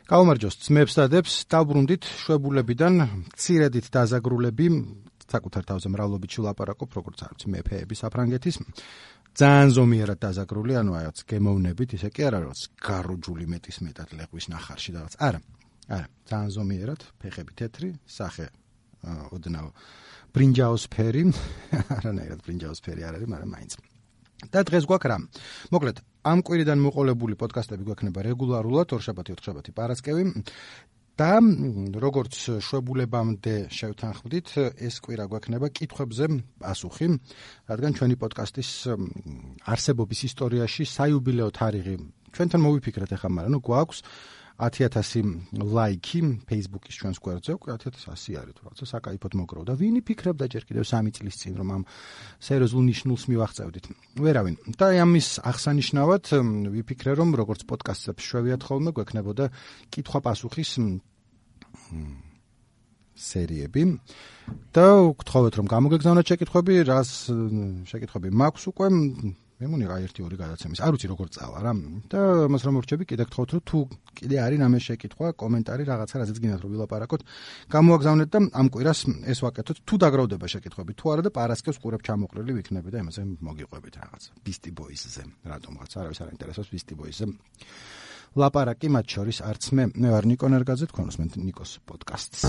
გაუმარჯოს ძმებს და დებს, დავბრუნდით შვებულებიდან, მცირედით დაზაგრულები, საკუთარ თავზე მრავლობით ვილაპარაკობ, როგორც არის მეფეები საფრანგეთის. ძალიან ზომიერად დაზაგრული, ანუ რაღაც გემოვნებით, ისე კი არა, რაღაც გარუჯული მეტისმეტად ლეღვის ნახარში და რაღაც. არა, ძალიან ზომიერად, ფეხები თეთრი, სახე ოდნავ ბრინჯაოსფერი, არანაირად ბრინჯაოსფერი არ არის, მაგრამ მაინც. და დღეს გვაქვს რა? მოკლედ, ამ კვირიდან მოყოლებული პოდკასტები გვექნება რეგულარულად, ორშაბათი, ოთხშაბათი, პარასკევი. და როგორც შვებულებამდე შევთანხმდით, ეს კვირა გვექნება კითხვებზე პასუხი, რადგან ჩვენი პოდკასტის არსებობის ისტორიაში საიუბილეო თარიღი ჩვენთან მოვიფიქრეთ ახლა, მაგრამ გვაქვს 10,000 ლაიქი Facebook-ის ჩვენს გვერდზე, 10,100 არის თუ რაღაცა საკაიფოდ მოგროვდა. ვინი ფიქრობდა ჯერ კიდევ 3 წლის წინ, რომ ამ სერიოზულ ნიშნულს მივახწევდით? ვერავინ. და ამის აღსანიშნავად ვიფიქრე, რომ როგორც პოდკასტებს შვევიათ ხოლმე, გვექნებოდა კითხვა-პასუხის სერიები. და გთხოვეთ, რომ გამოგეგზავნოთ შეკითხვები, რას შეკითხვები მაქვს უკვე, მე მონიღა 1-2 გადაცემის. არ ვიცი როგორ წავა რა. და მას რომ მორჩები, კიდე გთხოვთ, რომ თუ კიდე არის რამე შეკითხვა, კომენტარი, რაღაცა, რაზეც გინდათ რომ ვილაპარაკოთ, გამოაგზავნეთ და ამ კვირას ეს ვაკეთოთ. თუ დაგროვდება შეკითხვები, თუ არა და პარასკევს ყურებ ჩამოყრილი ვიქნები და იმაზე მოგიყვებით რაღაცა. Beastie Boys-ზე, რატომღაც არავის არ ინტერესებს Beastie Boys-ზე. ლაპარაკი მათ შორის არც მე ვარ ნიკო ნერგაძე, თქვენ უსმენთ ნიკოს პოდკასტს.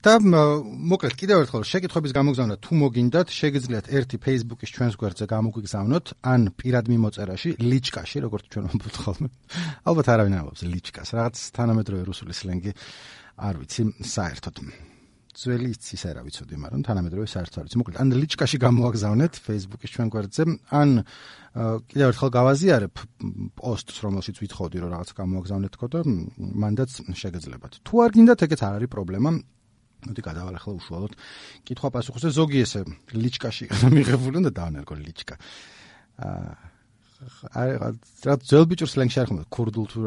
და მოკლედ კიდევ ერთხელ შეკითხვების გამოგზავნა თუ მოგინდათ, შეგიძლიათ ერთი Facebook-ის ჩვენს გვერდზე გამოგვიგზავნოთ, ან პირად მიმოწერაში, ლიჩკაში, როგორც ჩვენ ვამბობთ ხოლმე. ალბათ არავინ არ ამბობს ლიჩკას, რაღაც თანამედროვე რუსული სლენგი არ ვიცი საერთოდ. ძველი ისე რა ვიცოდი, მაგრამ თანამედროვე საერთოდ არ ვიცი. მოკლედ, ან ლიჩკაში გამოაგზავნეთ Facebook-ის ჩვენ გვერდზე, ან კიდევ ერთხელ გავაზიარებ პოსტს, რომელშიც ვითხოვდი, რომ რაღაც გამოაგზავნეთ თქო და მანდაც შეგეძლებათ. თუ არ გინდათ, ეგეც არ არის პრობლემა. მოდი გადავალ ახლა უშუალოდ კითხვა-პასუხზე. ზოგი ესე ლიჩკაში მიღებული უნდა დავანერგო ლიჩკა. რა ძველ ბიჭურ სლენგში არ ხომ ქურდულ თუ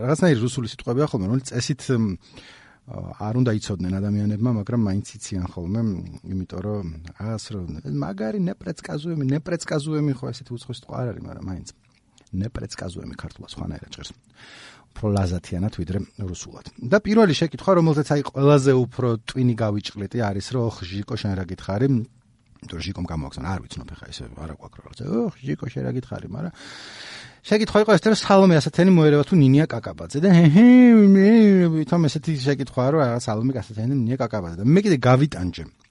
რაღაცნაირი რუსული სიტყვებია ხოლმე, რომელიც წესით არ უნდა იცოდნენ ადამიანებმა, მაგრამ მაინც იციან ხოლმე, იმიტომ რომ რაღაც რომ მაგარი ნეპრეცკაზუემი ხო ესეთი უცხო სიტყვა არ არის, მაგრამ მაინც ნეპრეცკაზუემი ქართულად სხვანაირად ჭირს. უფრო ლაზათიანად ვიდრე რუსულად. და პირველი შეკითხვა, რომელზეც აი ყველაზე უფრო ტვინი გავიჭყლიტი არის, რომ ჟიკო შენ რა გითხარი? იმიტომ ჟიკომ გამოაგზავნა, არ ვიცნობ ხა ესე არა გვაქვს რაღაცა. ჟიკო შენ რა გითხარი, მაგრამ შეკითხვა იყო ეს, რომ სალომე ასათიანი მოერევა თუ ნინია კაკაბაძე და თომ ესეთი შეკითხვაა, რომ რაღაც სალომე ასათიანი ნინია კაკაბაძე და მე კიდე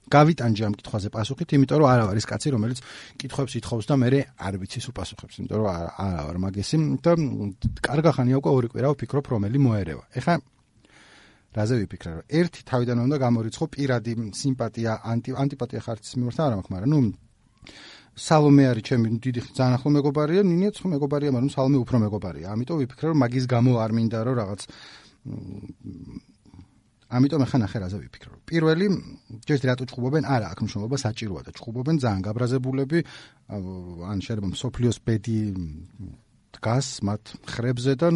გავიტანჯე ამ კითხვაზე პასუხით, იმიტომ რომ არა ვარ ის კაცი, რომელიც კითხვებს ითხოვს და მე არ ვიცი სულ პასუხებს, იმიტომ რომ არა ვარ მაგესი და კარგა ხანია უკვე 2 კვირა ვფიქრობ რომელი მოერევა. ეხლა რაზე ვიფიქრე, რომ ერთი თავიდან უნდა გამორიცხო პირადი სიმპათია, ანტიპათია ხარცის მიმართ არ მაქვს, მაგრამ სალომე არის ჩემი დიდი ძალიან ახლო მეგობარია, ნინიაც ხო მეგობარია, მაგრამ სალომე უფრო მეგობარია. ამიტომ ვიფიქრე, რომ მაგის გამო არ მინდა რომ რაღაც ამიტომ ახლა ნახე რაზე ვიფიქრე. პირველი, ჯერ რატო ჭუბობენ? არა, აქ მნიშვნელობა საჭიროა და ჭუბობენ ძალიან გაბრაზებულები, ან შეიძლება მსოფლიოს ბედი დგას მათ ხრებზე და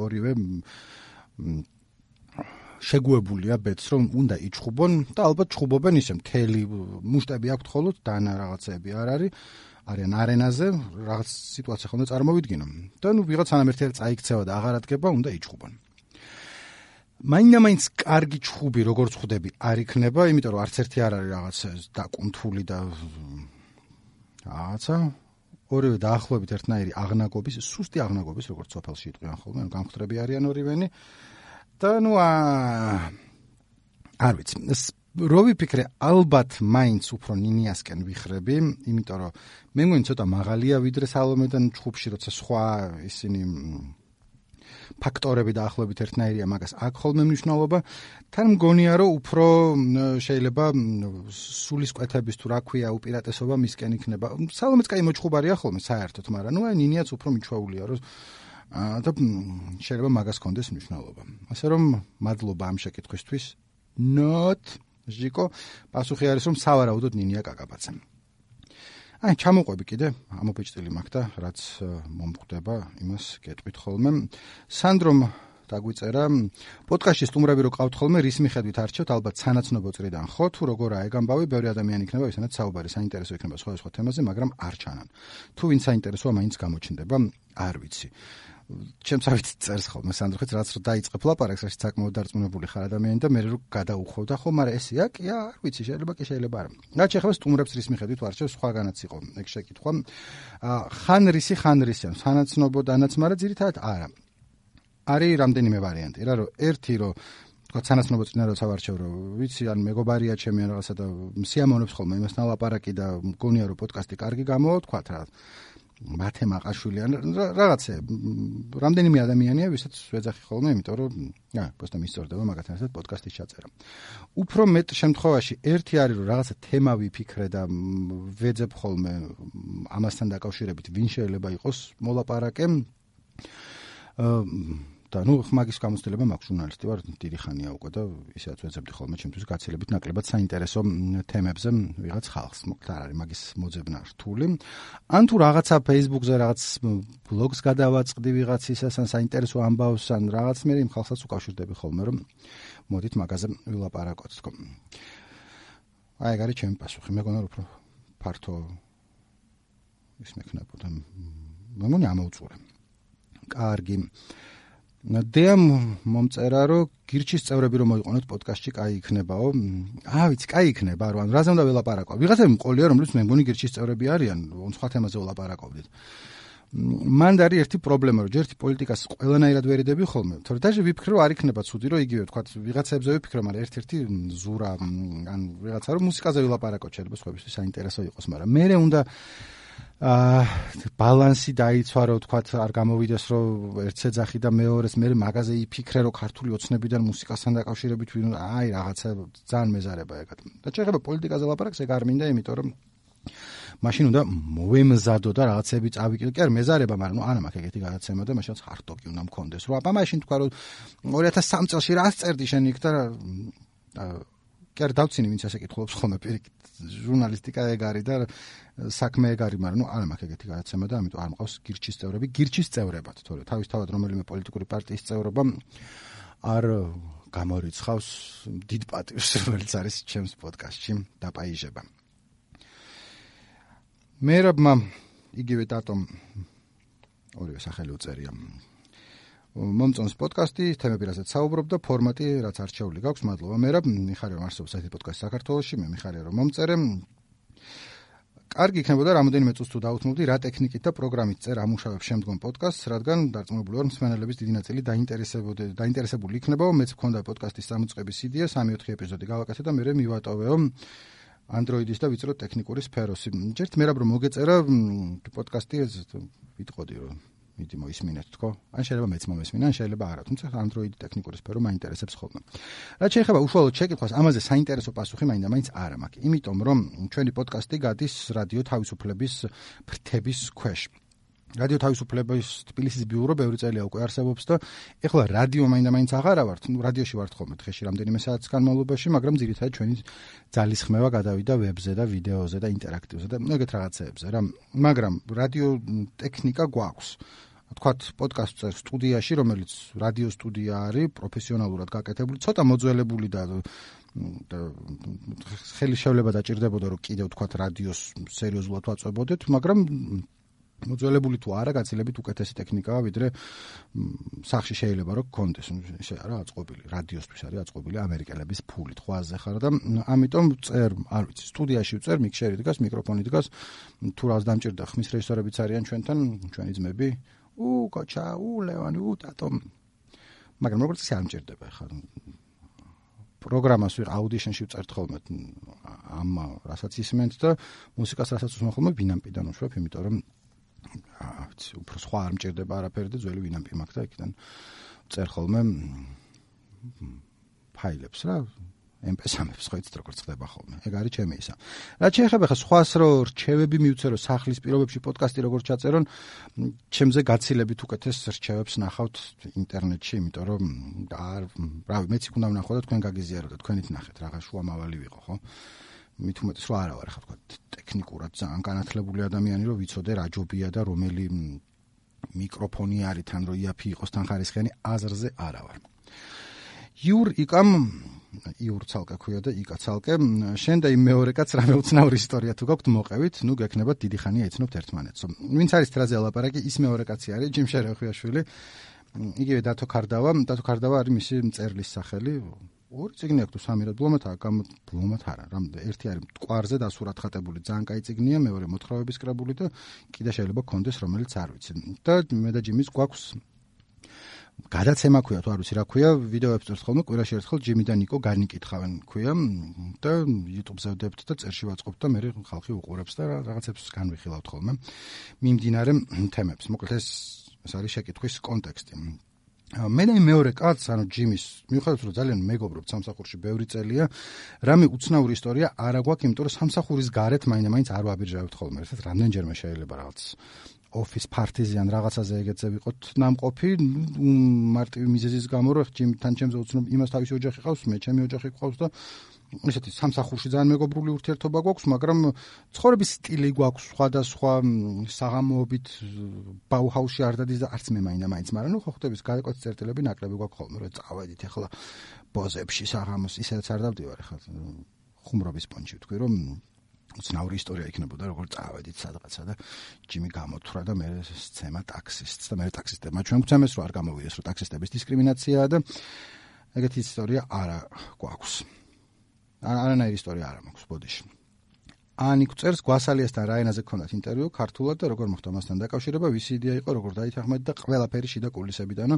ორივე შეგუებულია ბედს, რომ უნდა იჭუბონ და ალბათ ჭუბობენ ისე მთელი მუშტები აქვთ ხოლოდ და რაღაცები არ არის. არიან არენაზე, რაღაც სიტუაცია ხომ და წარმოვიდგინო. და ვიღაც სანამ ერთად წაიქცევა და აღარ ადგება, უნდა იჭუბონ. მაინც კარგი ჭუბი როგორც ხვდები არ იქნება, იმიტომ რომ არც ერთი არ არის რაღაც დაკუნთული და რაღაცა ორივე დაახლოებით ერთნაირი აღნაგობის, სუსტი აღნაგობის, როგორც სოფელში იტყვიან ხოლმე, გამხდრები არიან ორივენი და არ ვიცი. რო ვიფიქრე, ალბათ მაინც უფრო ნინიასკენ ვიხრები, იმიტომ რომ მე მგონი ცოტა მაღალია ვიდრე სალომედან ჭუბში, როცა სხვა ისინი ფაქტორები დაახლოებით ერთნაირია, მაგას აქ ხოლმე მნიშვნელობა. თან მგონია, რომ უფრო შეიძლება სულისკვეთების თუ რა ქვია უპირატესობა მისკენ იქნება. სალომეც კაი მოჩხუბარია ხოლმე საერთოდ, მაგრამ აი ნინიაც უფრო მიჩვეულია, რომ და შეიძლება მაგას კონდეს მნიშვნელობა. ასე რომ მადლობა ამ შეკითხვისთვის. Not ჟიკო, პასუხი არის რომ სავარაუდოდ ნინია კაკაბაძე. აი, ჩამოყვები კიდე, ამობეჭდილი მაქვს და რაც მომხვდება, იმას გეტყვით ხოლმე. სანდრომ დაგვიწერა, პოდკასტში სტუმრები რო ყავთ ხოლმე, რის მიხედვით არჩევთ, ალბათ სანაცნობო წრიდან ხო, თუ როგორაა ეგ ამბავი, ბევრი ადამიანი იქნება, ვისთანაც საუბარი საინტერესო იქნება სხვადასხვა თემაზე, მაგრამ არ ჩანან. თუ ვინ საინტერესოა, მაინც გამოჩნდება, არ ვიცი. ჩემს ავით წერს ხოლმე სანდროხიც, რაც რო დაიწყებ ლაპარაკს, რაც საკმაოდ დარწმუნებული ხარ ადამიანი და მე რო გადაუხვევდა, ხო, მაგრამ ესეა, კი, არ ვიცი, შეიძლება კი შეიძლება არა. რაც ეხება სტუმრებს რის მიხედვით ვარჩევ, სხვაგანაც იყო ეგ შეკითხვა. ხან რისი, სანაცნობო დანაც, მაგრამ ძირითადად არა. არის რამდენიმე ვარიანტი რა, რომ ერთი რომ თქვა სანაცნობო წინა როცა ვარჩევ, რომ ვიცი, ან მეგობარია ჩემი ან რაღაცა და სიამოვნებს ხოლმე იმასთან ლაპარაკი და მგონია რომ პოდკასტი კარგი გამოვა, თქვა რა. მათე მაყაშვილი ან რაღაცა რამდენიმე ადამიანია, ვისაც ვეძახი ხოლმე, იმიტომ რომ просто მისწორდება მაგათთან ერთად პოდკასტის ჩაწერა. უფრო მეტ შემთხვევაში ერთი არის რომ რაღაცა თემა ვიფიქრე და ვეძებ ხოლმე ამასთან დაკავშირებით ვინ შეიძლება იყოს მოლაპარაკე. და მაგის გამოცდილება მაქვს, ჟურნალისტი ვარ, დიდი ხანია უკვე და ისედაც ვეძებდი ხოლმე ჩემთვის გაცილებით ნაკლებად საინტერესო თემებზე ვიღაც ხალხს. მოკლედ არ არის მაგის მოძებნა რთული. ან თუ რაღაცა Facebook-ზე რაღაც ბლოგს გადავაწყდი ვიღაცისას, ან საინტერესო ამბავს, ან რაღაც მე იმ ხალხსაც უკავშირდები ხოლმე, რომ მოდით მაგაზე ვილაპარაკოთ, თქო. აი, ეგ არის ჩემი პასუხი. მეგონა რომ უფრო ფართო ის მექნებოდა. მე მგონი ამოვწურე. კარგი. დემ მომწერა რომ გირჩის წევრები რომ მოიყვანოთ პოდკასტში, კაი იქნებაო. ვიცი, კაი იქნება, რომ რაზე უნდა ველაპარაკო. ვიღაცები მყოლია, რომლებიც მე მგონი გირჩის წევრები არიან, სხვა თემაზე ველაპარაკობდით. მან არის ერთი პრობლემა, რომ ჯერ პოლიტიკას ყველანაირად ვერიდები ხოლმე. თორე დაჟე ვიფიქრე, რომ არ იქნება ცუდი, რომ იგივე თქვა ვიღაცებზე ვიფიქრე, მაგრამ ერთ-ერთი ზურა ან ვიღაცა რომ მუსიკაზე ველაპარაკოთ, შეიძლება სხვებისთვის საინტერესო იყოს, მაგრამ მე უნდა ბალანსი დაიცვა, რომ თქვა არ გამოვიდეს, რომ ერთზე ძახი და მეორეს მე მაგაზე იფიქრე, რომ ქართული ოცნებიდან მუსიკასთან დაკავშირებით აი რაღაცა ძალიან მეზარება ეგად. და შეიძლება პოლიტიკაზე ლაპარაკს ეგ არ მინდა, იმიტომ რომ მაშინ უნდა მოვემზადო და რაღაცები წავიკიდო. კი არ მეზარება, მაგრამ არა მაქვს ეგეთი გადაცემა და მაშინაც ხარტოკი უნდა მქონდეს. რომ აბა მაშინ თქვა რომ 2003 წელს რას წერდი შენ იქ და კი არ დავცინი ვინც ასე კითხულობს ხოლმე პირიქით. ჟურნალისტიკა ეგ არის და საქმე ეგ არის, მაგრამ არა მაქვს ეგეთი გადაცემა და ამიტომ არ მყავს გირჩის წევრები, გირჩის წევრებად, თორე თავისთავად რომელიმე პოლიტიკური პარტიის წევრობა არ გამორიცხავს დიდ პატივს, რომელიც არის ჩემს პოდკასტში დაპაიჟება. მერაბმა იგივე დატომ ორივე სახელი უწერია. მომწონს პოდკასტი, თემები რასაც საუბრობ და ფორმატი რაც არჩეული გაქვს. მადლობა მერაბ, მიხარია რომ არსებობს ასეთი პოდკასტი საქართველოში, მე მიხარია რომ მომწერე. კარგი იქნებოდა რამოდენიმე წუთს თუ დაუთმობდი რა ტექნიკით და პროგრამით წერ ამუშავებ შემდგომ პოდკასტს, რადგან დარწმუნებული ვარ მსმენელების დიდი ნაწილი დაინტერესებული იქნებაო. მეც მქონდა პოდკასტის დამოწყების იდეა, 3-4 ეპიზოდი გავაკეთე და მე მივატოვეო Android-ის და ვიწრო ტექნიკური სფეროსი. ჯერთ მერაბ რომ მოგეწერა პოდკასტი ვიტყოდი რომ მიდი მოისმინეთ თქო. ან შეიძლება მეც მომესმინა, ან შეიძლება არა. თუმცა Android ტექნიკური სფერო მაინტერესებს ხოლმე. რაც შეეხება უშუალოდ შეკითხვას, ამაზე საინტერესო პასუხი მაინდა-მაინც არ მაქვს. იმიტომ რომ ჩვენი პოდკასტი გადის რადიო თავისუფლების ფრთების ქვეშ. რადიო თავისუფლების თბილისის ბიურო ბევრი წელია უკვე არსებობს და ეხლა რადიო მაინდა-მაინც აღარა ვართ. რადიოში ვართ ხოლმე დღეში რამდენიმე საათის განმავლობაში, მაგრამ ძირითადად ჩვენი ძალის ხმევა გადავიდა ვებზე და ვიდეოზე და ინტერაქტივზე და ეგეთ რაღაცეებზე რა. მაგრამ რადიო ტექნიკა გვაქვს. თქვათ პოდკასტს წერს სტუდიაში, რომელიც რადიო სტუდია არის, პროფესიონალურად გაკეთებული, ცოტა მოძველებული და ხელი შევლება დაჭირდებოდა რომ კიდევ თქვათ რადიოს სერიოზულად ვაწვებოდეთ, მაგრამ მოძველებული თუ არა, გაცილებით უკეთესი ტექნიკაა, ვიდრე სახში შეიძლება რომ გქონდეს. ისე არა აწყობილი, რადიოსთვის არის აწყობილი ამერიკელების ფულით, ხვაზე ხარ და ამიტომ წერ, არ ვიცი, სტუდიაში ვწერ, მიქსერი დგას, მიკროფონი დგას, თუ რას დამჭირდა, ხმის რეჟისორებიც არიან ჩვენთან, ჩვენი ძმები, კოჩა, ლევანი, ტატო. მაგრამ როგორც ისე არ მჭირდება ხარ. პროგრამას აუდიშენში ვწერთ ხოლმე ამ რასაც ისმენთ და მუსიკას რასაც უსმენ ხოლმე ბინამპიდან უშვებ, იმიტომ რომ ვიცი, უფრო სხვა არ მჭირდება არაფერი და ძველი ვინამპი მაქვს და იქიდან წერ ხოლმე ფაილებს რა MP3-ებს ხო იცით როგორ ხდება ხოლმე. ეგ არის ჩემი ისა. რაც შეეხება ხა სხვას რო რჩევები მივცე რო სახლის პირობებში პოდკასტი როგორ ჩაწერონ, ჩემზე გაცილებით უკეთეს რჩევებს ნახავთ ინტერნეტში, იმიტომ რომ რავი, მეც იქ უნდა ვნახო და თქვენ გაგიზიაროთ და თქვენით ნახეთ, რაღაც შუამავალი ვიყო, ხო? მით უმეტეს რო არა ვარ ხა თქვა ტექნიკურად ძალიან განათლებული ადამიანი რომ ვიცოდე რა ჯობია და რომელი მიკროფონი არის თან რო იაფი იყოს თან ხარისხიანი აზრზე არა ვარ. იურ ცალკე ქვია და იკა ცალკე შენ და იმ მეორე კაც რამე უცნაური ისტორია თუ გაქვთ მოყევით, ნუ გექნებათ დიდი ხანია ეცნობთ ერთმანეთს. ვინც არის ტრაზე ლაპარაკი, ის მეორე კაცი არის ჯიმ შერეხვიაშვილი. იგივე დათო ქარდავა არის მისი მწერლის სახელი. ორი წიგნი აქვს თუ სამი რა ბლომად არა, ერთი არის მტკვარზე დასურათხატებული, ძალიან კაი წიგნია, მეორე მოთხრობების კრებული და კიდე შეიძლება გქონდეს რომელიც არ ვიცი. და მე და ჯიმის გვაქვს გადაცემა ქვია თუ არ ვიცი რა ქვია, ვიდეოებს წერთ ხოლმე, კვირაში ერთხელ ჯიმი და ნიკო განიკითხავენ ქვია და YouTube-ზე ვდებთ და წერში ვაწყობთ და მე ხალხი უყურებს და რაღაცებს განვიხილავთ ხოლმე მიმდინარე თემებს. მოკლედ ეს არის შეკითხვის კონტექსტი. მე და მეორე კაცს, ანუ ჯიმის, მიუხედავად რომ ძალიან მეგობრობთ სამსახურში ბევრი წელია, რამე უცნაური ისტორია არ აგვაქვს, იმიტომ რომ სამსახურის გარეთ მაინც არ ვაბიჯავებთ ხოლმე. ერთად რამდენჯერმე შეიძლება რაღაც office parties-იან რაღაცაზე ეგეთზე ვიყოთ ნამყოფი, მარტივი მიზეზის გამო რომ ჯიმთან ჩემზე უცნობ იმას თავისი ოჯახი ყავს, მე ჩემი ოჯახი ყავს და ესეთი სამსახურში ძალიან მეგობრული ურთიერთობა გვაქვს, მაგრამ ცხოვრების სტილი გვაქვს სხვადასხვა საღამოობით ბაუჰაუსში არ დადის და არც მე მაინც, მაგრამ ნუ ხო ხვდების გადაკვეთ წერტილები ნაკლები გვაქვს ხოლმე, რომ წავედით ახლა ბოზებში საღამოს, ისედაც არ დავდივარ ახლა ხუმრობის პონჩი ვთქვი, რომ უცნაური ისტორია იქნებოდა, როგორ წავედით სადღაცა და ჯიმი გამოთვრა და მე სცემა ტაქსისტს და მე ტაქსისტებმა ჩვენ გვცემეს, რომ არ გამოვიდეს, რომ ტაქსისტების დისკრიმინაციაა და ეგეთი ისტორია არა გვაქვს. არანაირი ისტორია არ მაქვს ბოდიში. ანიკ წერს გვასალიასთან რა ენაზე გქონდათ ინტერვიუ ქართულად და როგორ მოხდა მასთან დაკავშირება, ვისი იდეა იყო, როგორ დაითანხმეთ და ყველაფერი შიდა კულისებიდანო.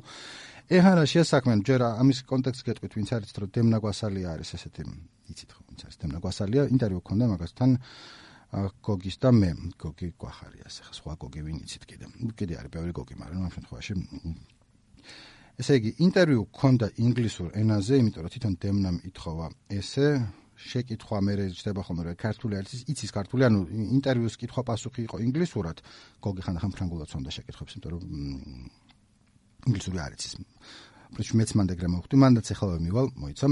ეხლა რა შეასაქმე, ჯერ ამის კონტექსტს გეტყვით, ვინც არის რომ დემნა გვასალია არის ესეთი, იცით ხო, ვინც არის დემნა გვასალია, ინტერვიუ გქონდა მაგასთან გოგის და მე, გოგი გვახარიას, ახლა სხვა გოგი ვინ იცით კიდე არის ბევრი გოგი, მაგრამ ამ შემთხვევაში ესე იგი, ინტერვიუ გქონდა ინგლისურ ენაზე, იმიტომ რომ თვითონ დემნამ ითხოვა ესე შეკითხვა მე რჩება ხოლმე რომ ქართული არის, იცის ქართული, ანუ ინტერვიუს კითხვა პასუხი იყო ინგლისურად, გოგი ხანდახან ფრანგულად ცნობდა შეკითხვებს, იმიტომ რომ ინგლისური არ იცის. პრინციპში მეც მანდ ეგრე მოვხდი, მანდაც ეხლა მივალ, მოიცა.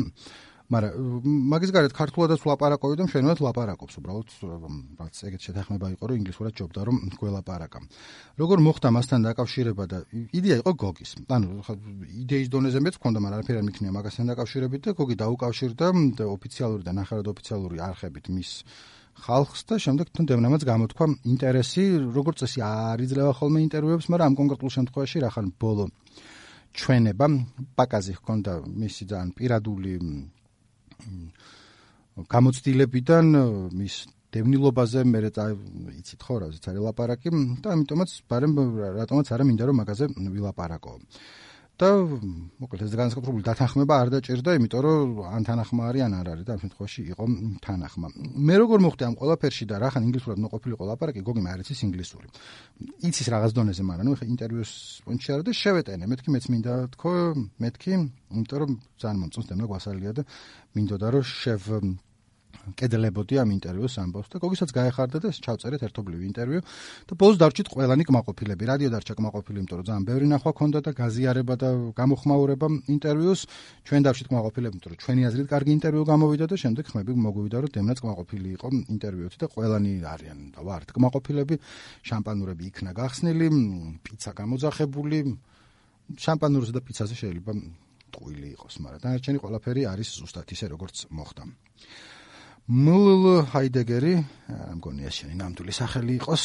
მაგრამ მაგის გარეთ ქართულადაც ვლაპარაკობდი და მშვენივრად ვლაპარაკობს, უბრალოდ რაც ეგეთ შეთანხმება იყო, რომ ინგლისურად ჯობდა რომ გველაპარაკა. როგორ მოხდა მასთან დაკავშირება და იდეა იყო გოგის. ანუ იდეის დონეზე მეც მქონდა, მაგრამ არაფერი არ მიქნია მაგასთან დაკავშირებით და გოგი დაუკავშირდა ოფიციალური და ნახევრად ოფიციალური არხებით მის ხალხს და შემდეგ თან დემნამაც გამოთქვა ინტერესი, როგორც წესი არ იძლევა ხოლმე ინტერვიუებს, მაგრამ ამ კონკრეტულ შემთხვევაში რახან ბოლო ჩვენება პაკაზი ჰქონდა მისი ძალიან პირადული გამოცდილებიდან მის დევნილობაზე მე იცით ხო რა ზეც არის ლაპარაკი და ამიტომაც რატომაც არა მინდა რომ მაგაზე ვილაპარაკო. და მოკლედ ეს განსაკუთრებული დათანხმება არ დაჭირდა, იმიტომ რომ ან თანახმა არის ან არ არის და ამ შემთხვევაში იყო თანახმა. მე როგორ მოხდი ამ ყველაფერში და რახან ინგლისურად მოყოფილიყო ლაპარაკი, გოგი მე არ იცის ინგლისური. იცის რაღაც დონეზე, მაგრამ ნუ ინტერვიუს პონჩი არა და შევეტენე, მეთქი მეც მინდა თქო, იმიტომ რომ ძალიან მომწონს დემნა გვასალია და მინდოდა რომ კედლებოდი ამ ინტერვიუს ამბავს და გოგისაც გაეხარდა და ჩავწერეთ ერთობლივი ინტერვიუ და ბოლოს დარჩით ყველანი კმაყოფილები. რადიო დარჩა კმაყოფილი, იმიტომ რომ ძალიან ბევრი ნახვა ქონდა და გაზიარება და გამოხმაურება ინტერვიუს. ჩვენ დავშით კმაყოფილები, იმიტომ რომ ჩვენი აზრით კარგი ინტერვიუ გამოვიდა და შემდეგ ხმები მოგვივიდა, რომ დემნაც კმაყოფილი იყო ინტერვიუით და ყველანი არიან და ვართ კმაყოფილები. შამპანურები იქნა გახსნილი, პიცა გამოძახებული. შამპანურზე და პიცაზე შეიძლება ტყუილი იყოს, მაგრამ დანარჩენი ყველაფერი არის ზუსტად ისე, როგორც მოხდა. მლ ჰაიდეგერი, მგონია შენი ნამდვილი სახელი იყოს.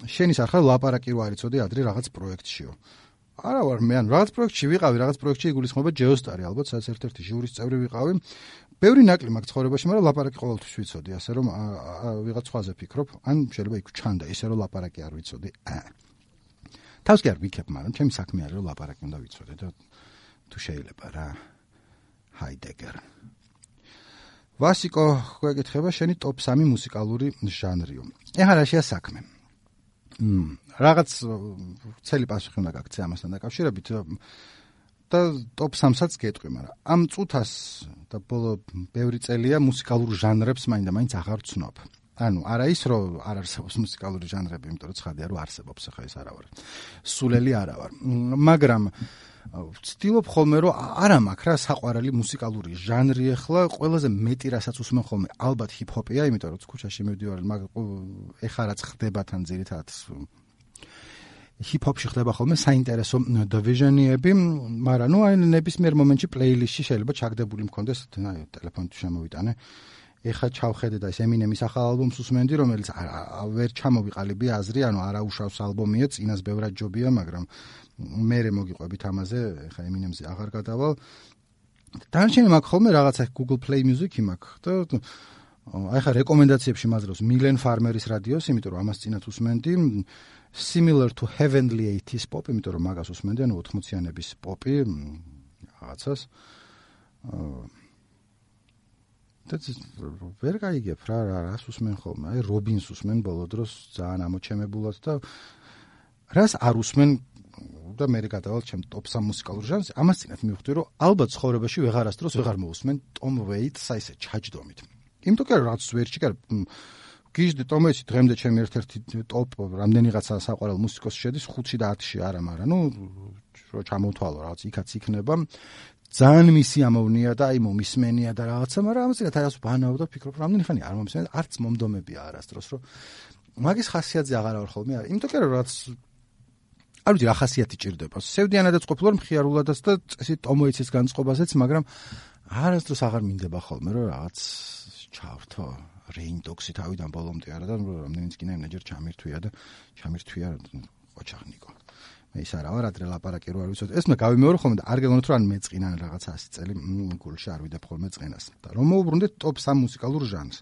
შენი სახელი ლაპარაკი რო არიცოდი ადრე რაღაც პროექტშიო. არა ვარ მე, ან რაღაც პროექტში ვიყავი, რაღაც პროექტში იგულისხმება ჯეოსტარი, ალბათ სადაც ერთ-ერთი ჟურის წევრი ვიყავი. ბევრი ნაკლი მაქვს ცხოვრებაში, მაგრამ ლაპარაკი ყოველთვის ვიცოდი, ასე რომ ვიღაც სხვაზე ფიქრობ, ან შეიძლება იქ ჩანდა ისე რომ ლაპარაკი არ ვიცოდი. თავს კი არ ვიქებ, მაგრამ ჩემი საქმე არის რომ ლაპარაკი უნდა ვიცოდე და თუ შეიძლება რა. ჰაიდეგერ. ვასიკო, გვეკითხება შენი ტოპ 3 მუსიკალური ჟანრიო. ეხლა რა შეასაქმე? რაღაც ცელი პასუხი უნდა გაქცე ამასთან დაკავშირებით და ტოპ 3-საც გეტყვი, მაგრამ ამ წუთას და ბოლო ბევრი წელია მუსიკალურ ჟანრებს მაინდა-მაინც აღარ ვცნობ. ანუ არა ის რომ არ არსებობს მუსიკალური ჟანრები, იმიტომ რომ ცხადია რომ არსებობს, ახლა ეს არა ვარ. სულელი არა ვარ. მაგრამ ვცდილობ ხოლმე რომ არა მაქვს რა საყვარელი მუსიკალური ჟანრი ახლა ყველაზე მეტი რასაც უსმენ ხოლმე ალბათ ჰიპ-ჰოპია, იმიტომ რომ ქუჩაში მივდივარ, ეხლა რაც ხდება თან ძირითადად ჰიპ-ჰოპში ხდება ხოლმე საინტერესო დივიზიონები, მაგრამ ნუ აი ნებისმიერ მომენტში პლეილისტში შეიძლება ჩაგდებული მქონდეს, აი ტელეფონით შემოვიტანე. ეხლა ჩავხედე და ეს ემინემის ახალ ალბომს უსმენდი, რომელიც ვერ ჩამოვიყალიბე აზრი, ანუ არაუშავს ალბომია, წინას ბევრად ჯობია, მაგრამ მერე მოგიყვებით ამაზე, ეხლა ემინემზე აღარ გადავალ. დანარჩენი მაქვს ხოლმე რაღაცა Google Play Music-ი მაქვს და აი ხა რეკომენდაციებში მაძლევს Milen Farmer-ის რადიოს, იმიტომ რომ ამას წინათ უსმენდი. Similar to Heavenly 80s pop, იმიტომ რომ მაგას უსმენდი, ანუ 80-იანების პოპი რაღაცას. და ვერ გაიგებ რა რას უსმენ ხოლმე. აი რობინს უსმენ ბოლო დროს ძალიან ამოჩემებულად და რას არ უსმენ და მე გადავალ ჩემ ტოპ 3 მუსიკალურ ჟანრს. ამას წინათ მივხვდი რომ ალბათ ცხოვრებაში ვეღარასდროს ვეღარ მოусმენ Tom Waits-ს ისე ჩაჯდომით. იმიტომ რომ რაც ვერჩი კარ გიჟდი Tom Waits-ი დღემდე ჩემი ერთ-ერთი ტოპ რამდენიღაცა საყვარელ მუსიკოსი შედის 5-ში და 10-ში არა, მაგრამ ნუ რო ჩამოვთვალო რაღაც იქაც იქნება. ძალიან მისი ამოვნია და აი მომისმენია და რაღაცა, მაგრამ ამას წინათ არას ვბანავ და ვფიქრობ, რამდენი ხანი არ მომისმენია, არც მომდომებია არასდროს, რომ მაგის ხასიათზე აღარ ვარ ხოლმე. იმიტომ რომ რაც არ ვიცი რა ხასიათი ჭირდება. სევდიანადაც ყოფილვარ მხიარულადაც და წესით Tom Waits-ის განწყობაზეც, მაგრამ არასდროს აღარ მინდება ხოლმე, რომ რაღაც ჩავრთო Rain Dogs-ი თავიდან ბოლომდე არა და რამდენიც კიდე ნეჯერ ჩამირთვია ყოჩაღნიკო. მე ის არა ვარ, ადრე ლაპარაკი რო არ ვიცოდი. ეს მე გავიმეორო ხოლმე და არ გეგონოთ რომ ან მეწყინა რაღაცა 100 წელი გულში არ ვიდებ ხოლმე წინას. და რომ მოვუბრუნდეთ ტოპ 3 მუსიკალურ ჟანრს.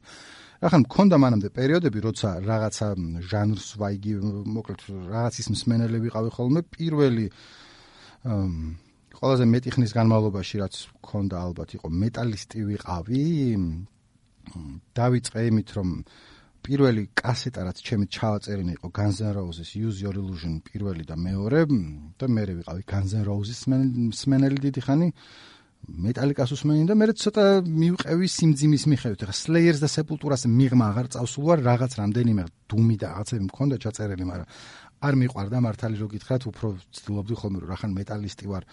ახლა მქონდა მანამდე პერიოდები, როცა რაღაცა ჟანრს ვაიგი, მოკლედ რაღაცის მსმენელი ვიყავი ხოლმე. პირველი ყველაზე მეტი ხნის განმავლობაში რაც მქონდა ალბათ იყო მეტალისტი ვიყავი. დავიწყე იმით რომ პირველი კასეტა რაც ჩემი ჩავაწერინე იყო Guns N' Roses Use Your Illusion პირველი და მეორე და მერე ვიყავი Guns N' Roses მსმენელი დიდი ხანი მეტალიკას უსმენი და მერე ცოტა მივყევი სიმძიმის მიხედვით. ახლა Slayers და Sepultura-ს მიღმა აღარ წავსულ ვარ, რაღაც რამდენიმე დუმი და რაღაცები მქონდა ჩაწერილი, მაგრამ არ მიყვარდა მართალი რო გითხრათ, უფრო ვცდილობდი ხოლმე რომ რახან მეტალისტი ვარ.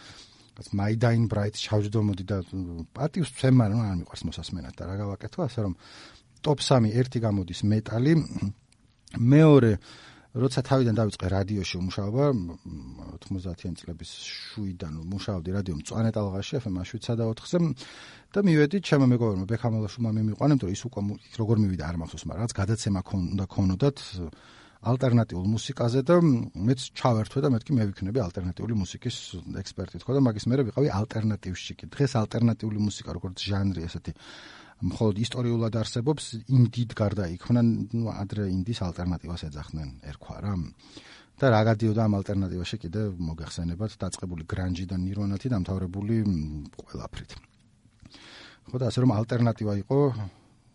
My Dying Bride ჩავჯდომოდი და პატივს ვცემ, მაგრამ არ მიყვარს მოსასმენად და რა გავაკეთო, ასე რომ ტოპ 3 ერთი გამოდის მეტალი, მეორე როცა თავიდან დავიწყე რადიოში მუშაობა 90-იან წლების შუიდან მუშაობდი რადიო მწვანე ტალღაში FM 7-4-ზე და მივედი ჩემო მეგობრებმა ბექამალაშვილმა მიმიყვანემ, რომ ის უკვე როგორ მივიდა არ მახსოვს, მაგრამ რაც გადაცემა უნდა ქონოდათ ალტერნატიულ მუსიკაზე და მეც ჩავერთვე და მეთქი მე ვიქნები ალტერნატიული მუსიკის ექსპერტი თქო და მაგის მერე ვიყავი ალტერნატივში. დღეს ალტერნატიული მუსიკა როგორც ჟანრი ესეთი მხოლოდ ისტორიულად არსებობს, ინდიდ გარდა იქნა, ნუ ადრე ინდის ალტერნატივას ეძახდნენ ერქვა რა. და რა გადიოდა ამ ალტერნატივაში კიდე მოგეხსენებათ დაწყებული გრანჯი და ნირვანათი დამთავრებული ყველაფრით. ხო და ასე რომ ალტერნატივა იყო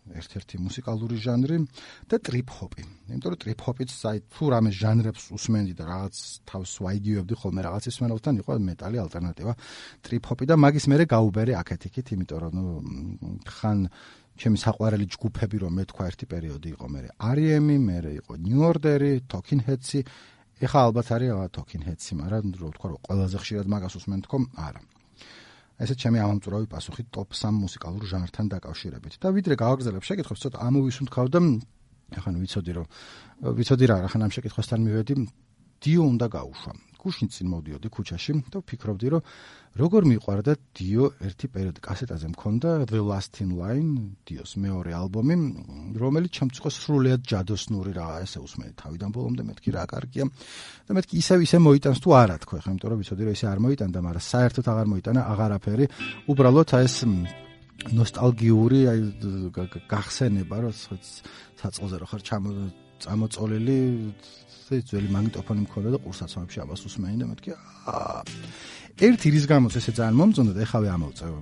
ერთ-ერთი მუსიკალური ჟანრი და ტრიპ-ჰოპი. იმიტომ რომ ტრიპ-ჰოპიც აი თუ რამე ჟანრებს უსმენდი და რაღაც თავს ვაიგივებდი ხოლმე რაღაცის მენელთან იყო მეტალი ალტერნატივა ტრიპ-ჰოპი და მაგის მერე გაუბერე აქეთ-იქით, იმიტომ რომ ნუ ხან ჩემი საყვარელი ჯგუფები რომ მეთქვა ერთი პერიოდი იყო მერე R.E.M-ი, მერე იყო New Order-ი, Talking Heads-ი, ეხლა ალბათ არის Talking Heads-ი, მაგრამ რო ვთქვა რომ ყველაზე ხშირად მაგას უსმენ თქო, არა. ესეც ჩემი ამომწურავი პასუხი ტოპ 3 მუსიკალურ ჟანრთან დაკავშირებით. და ვიდრე გავაგრძელებ შეკითხვას, ცოტა ამოვისუნთქავ და ახლა ვიცოდი რა, ახლა ამ შეკითხვასთან მივედი, დიო უნდა გაუშვა. გუშინ წინ მოვდიოდი ქუჩაში და ვფიქრობდი, რომ როგორ მიყვარდა დიო ერთი პერიოდი კასეტაზე მქონდა The Last in Line, დიოს მეორე ალბომი, რომელიც ჩემთვის იყო სრულიად ჯადოსნური რა, ესე უსმენი თავიდან ბოლომდე, მეთქი რა კარგია და მეთქი ისე მოიტანს თუ არა თქო, ახლა იმიტომ რომ ვიცოდი რომ ისე არ მოიტანდა, მაგრამ საერთოდ აღარ მოიტანა აღარაფერი, უბრალოდ ეს ნოსტალგიური აი გახსენება, რომ საწყოზე რო ხარ წამოწოლილი ძველი მაგნიტოფონი მქონდა და ყურსაცმლებში ამას უსმენი და მეთქი ერთი რის გამოც ესე ძალიან მომწონდა და ეხავე ამოვწევ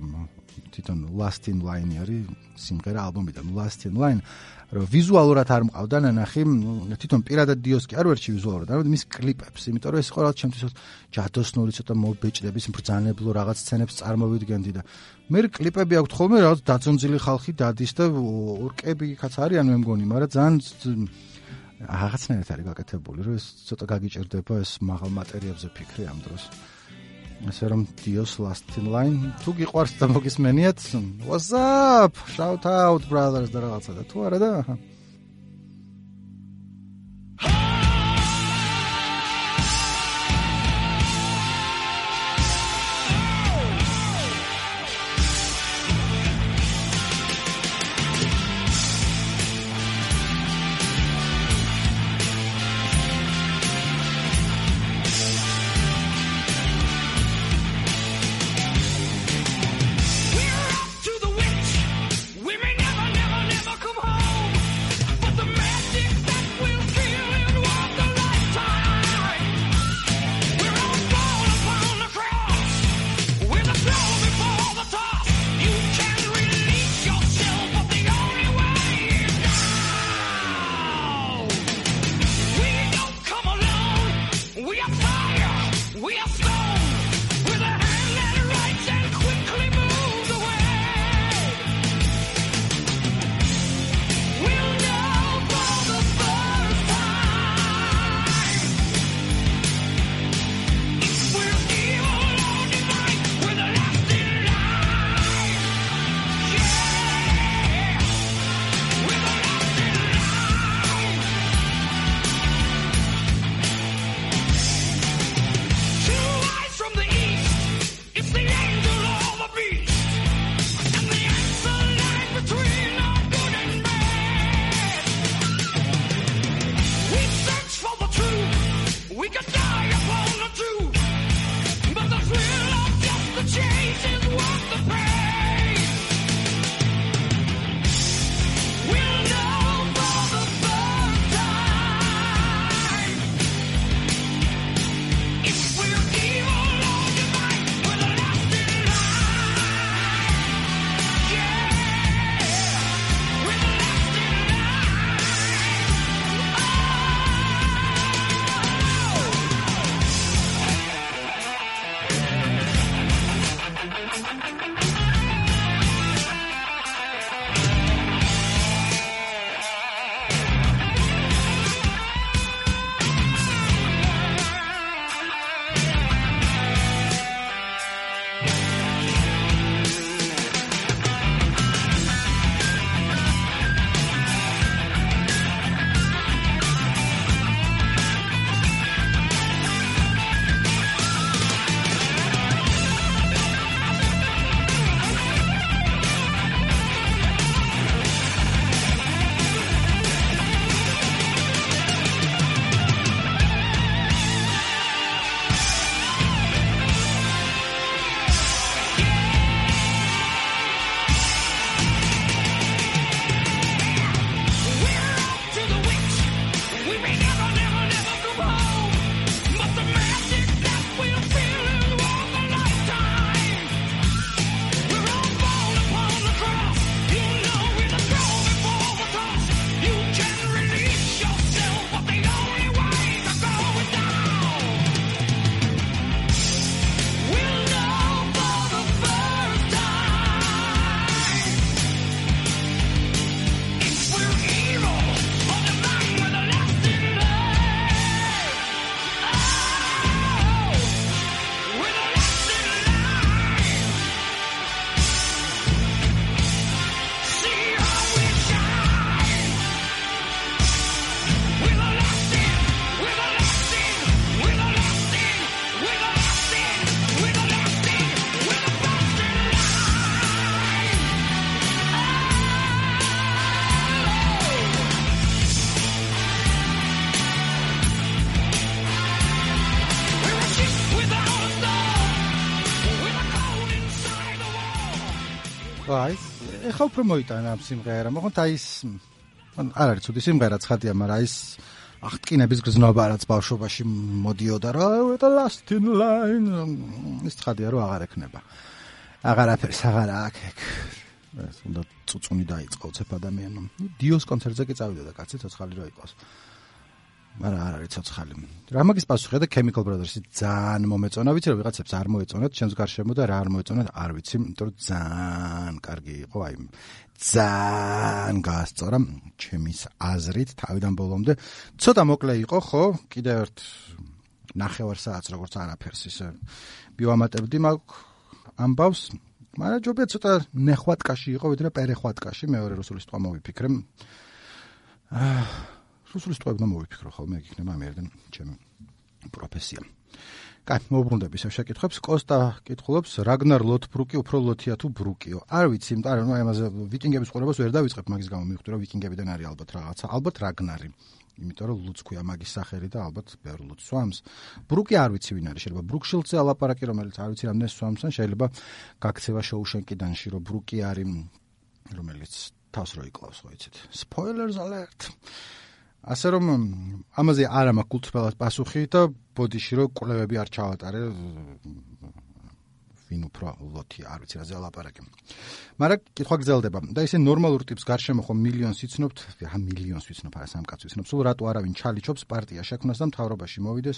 თვითონ Last in Line არის სიმღერა ალბომიდან Last in Line რომ ვიზუალურად არ მყავდა ნანახი, თვითონ პირადად დიოსკი არ ვერჩი ვიზუალურად, არამედ მის კლიპებს, იმიტომ რომ ეს იყო რაღაც ჩემთვის ჯადოსნური ცოტა მობეჭდების ბრძანებლო რაღაც სცენებს წარმოვიდგენდი და მე კლიპები აქვთ ხოლმე რაღაც დაძონძილი ხალხი დადის და ორკები იქაც არიან მე მგონი, მაგრამ ძალიან რაღაცნაირად არის გაკეთებული, რომ ეს ცოტა გაგიჭირდება ეს მაღალ მატერიებზე ფიქრი ამ დროს. ასე რომ Dios Last in Line თუ გიყვარს და მოგისმენიათ, what's up? Shout out brothers და რაღაცა და თუ არა და აი, ეხლა უფრო მოიტანა ამ სიმღერა, მაგრამ აი ის არ არის ცუდი სიმღერა, ცხადია, მაგრამ აი ის აღტკინების გზნობა რაც ბავშვობაში მოდიოდა რა, the last in line, ის ცხადია რომ აღარ ექნება. აღარაფერს აღარ აქვს. ეს უნდა წუწუნი დაიწყო ცეფ ადამიანმა. დიოს კონცერტზე კი წავიდა და კაცი ცოცხალი რო იყოს. მაგრამ არ არის ცოცხალი. რა მაგის პასუხია და Chemical Brothers-ი ძალიან მომეწონა, ვიცი რომ ვიღაცებს არ მოეწონათ, ჩემს გარშემო და რა არ მოეწონათ, არ ვიცი, იმიტომ რომ ძალიან კარგი იყო, აი ძალიან გაასწორა ჩემის აზრით თავიდან ბოლომდე. ცოტა მოკლე იყო, ხო? კიდევ ერთ ნახევარ საათს როგორც არაფერს ისე მივამატებდი მაგ ამბავს, მაგრამ ჯობია ცოტა ნეხვატკაში იყო, ვიდრე პერეხვატკაში, მეორე რუსული სიტყვა მოვიფიქრე. რუსული სიტყვები და მოვიფიქრო ხოლმე, ეგ იქნება ამერიდან ჩემი პროფესია. კაი, მოვბრუნდები ისევ შეკითხვებს. კოსტა კითხულობს, რაგნარ ლოთბრუკი უფრო ლოთია თუ ბრუკიო? არ ვიცი, მაგრამ ამაზე ვიკინგების ყურებას ვერ დავიწყებ, მაგის გამო მივხვდი, რომ ვიკინგებიდან არის ალბათ რაღაცა, ალბათ რაგნარი. იმიტომ რომ ლუც ქვია მაგის სახელი და ალბათ ბევრ ლუც სვამს. ბრუკი არ ვიცი ვინ არის, შეიძლება ბრუკშილდზე ალაპარაკი, რომელიც არ ვიცი რამდენი სვამს, ან შეიძლება გაქცევა შოუშენკიდანში, რომ ბრუკი არის, რომელიც თავს რო იკლავს, ხო იცით. Spoilers alert. ასე რომ ამაზე არ მაქვს კულტურულად პასუხი და ბოდიში რომ კვლევები არ ჩავატარე ვინ უფრო ლოთია, არ ვიცი რაზე ალაპარაკი. მაგრამ კითხვა გრძელდება და ისე ნორმალურ ტიპს გარშემო ხომ მილიონს იცნობთ, მილიონს ვიცნობ, არა სამ კაცს ვიცნობ, სულ რატო არავინ ჩალიჩობს პარტია შექმნას და მთავრობაში მოვიდეს,